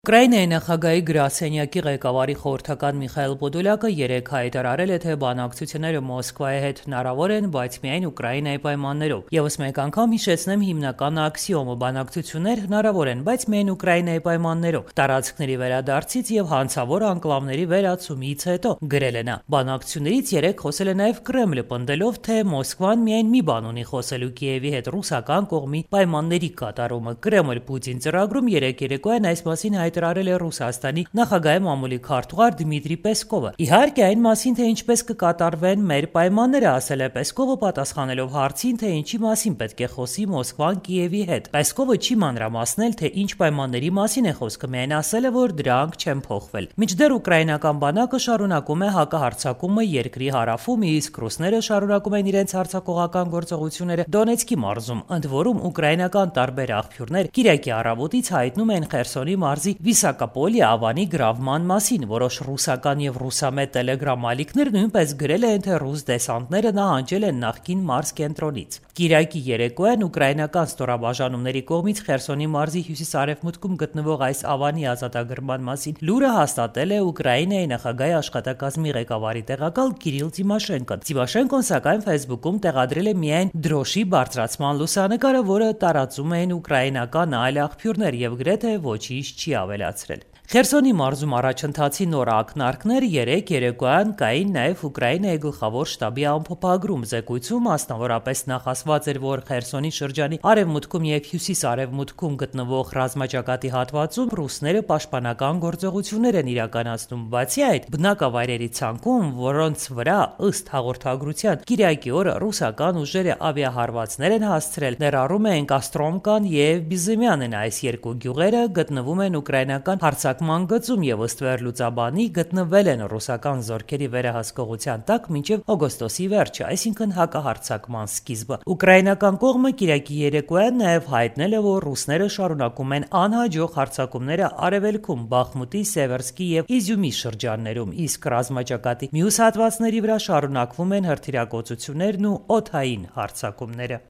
Ուկրաինայի նախագահի գրասենյակի ղեկավարի խորհրդական Միխայիլ Պոդոլյակը երեկ հայտարարել է, թե բանակցությունները Մոսկվայի հետ հնարավոր են, բայց միայն Ուկրաինայի պայմաններով։ Եվս մեկ անգամ հիշեցնեմ հիմնական աքսիոմը՝ բանակցություններ հնարավոր են, բայց միայն Ուկրաինայի պայմաններով։ Տարածքների վերադարձից եւ հանցավոր անկլավների վերացումից հետո, գրել է նա։ Բանակցություններից երեկ խոսել է նաեւ Կրեմլը, պնդելով, թե Մոսկվան միայն մի բան ունի խոսելու Կիևի հետ՝ ռուսական կողմի պայմանների կատարումը։ Կրեմլ-Պուտին ծրագրում երեկ երեկոյան այս մասին հայտարարել է Ռուսաստանի նախագահի մամուլի քարտուղար Դմիտրի Պեսկովը։ Իհարկե այն մասին, թե ինչպես կկատարվեն մեր պայմանները, ասել է Պեսկովը, պատասխանելով հարցին, թե ինչի մասին պետք է խոսի Մոսկվան Կիևի հետ։ Պեսկովը չի մանրամասնել, թե ինչ պայմանների մասին է խոսքը, միայն ասել է, որ դրանք չեն փոխվել։ Մինչդեռ ուկրաինական բանակը շարունակում է հակահարձակումը երկրի հարավում, իսկ ռուսները շարունակում են իրենց հարձակողական գործողությունները Դոնեցկի մարզում։ Ընդ որում ուկրաինական տարբեր աղբյուրներ Կիրակի առավոտից հայտնում են Խերսոնի մարզի Վիսակապոլի ավանի գրավման մասին։ Որոշ ռուսական եւ ռուսամետ տելեգրամ ալիքներ նույնպես գրել են, թե ռուս դեսանտները նահանջել են նախկին մարզ կենտրոնից։ Կիրակի երեկոյան ուկրաինական ստորաբաժանումների կողմից Խերսոնի մարզի հյուսիս-արևմուտքում գտնվող այս ավանի ազատագրման մասին լուրը հաստատել է Ուկրաինայի նախագահի աշխատակազմի ղեկավարի տեղակալ Կիրիլ Տիմոշենկոն։ Տիմոշենկոն սակայն Facebook-ում տեղադրել է միայն դրոշի բարձրացման լուսանկարը, որը տարածում էին ուկրաինական այլ աղբյուրներ եւ գրեթե ոչինչ չի ավելացրել։ Խերսոնի մարզում առաջընթացի նոր ակնարկներ երեկ երեկոյան կային նաև Ուկրաինայի գլխավոր շտաբի ամփոփագրում։ Զեկույցում մասնավորապես նախասված էր, որ Խերսոնի շրջանի արևմուտքում եւ հյուսիս-արևմուտքում գտնվող ռազմաճակատի հատվածում ռուսները պաշտպանական գործողություններ են իրականացնում։ Բացի այդ, բնակավայրերի ցանկում, որոնց վրա ըստ հաղորդագրության Կիրակի օրը ռուսական ուժերը ավիահարվածներ են հասցրել, ներառում են Կաստրոմկան եւ Բիզեմյանն։ Այս երկու գյուղերը գտնվում են ուկրաինական հարձակման գծում եւ ըստ վերլուծաբանի գտնվել են ռուսական զորքերի վերահսկողության տակ մինչեւ օգոստոսի վերջը, այսինքն հակահարձակման սկիզբը։ Ուկրաինական կողմը Կիրակի երեկոյան նաեւ հայտնել է, որ ռուսները շարունակում են անհաջող հարձակումները արևելքում Բախմուտի, Սևերսկի եւ Իզյումի շրջաններում, իսկ ռազմաճակատի մյուս հատվածների վրա շարունակվում են հրթիռակոծություններն ու օդային հարձակումները։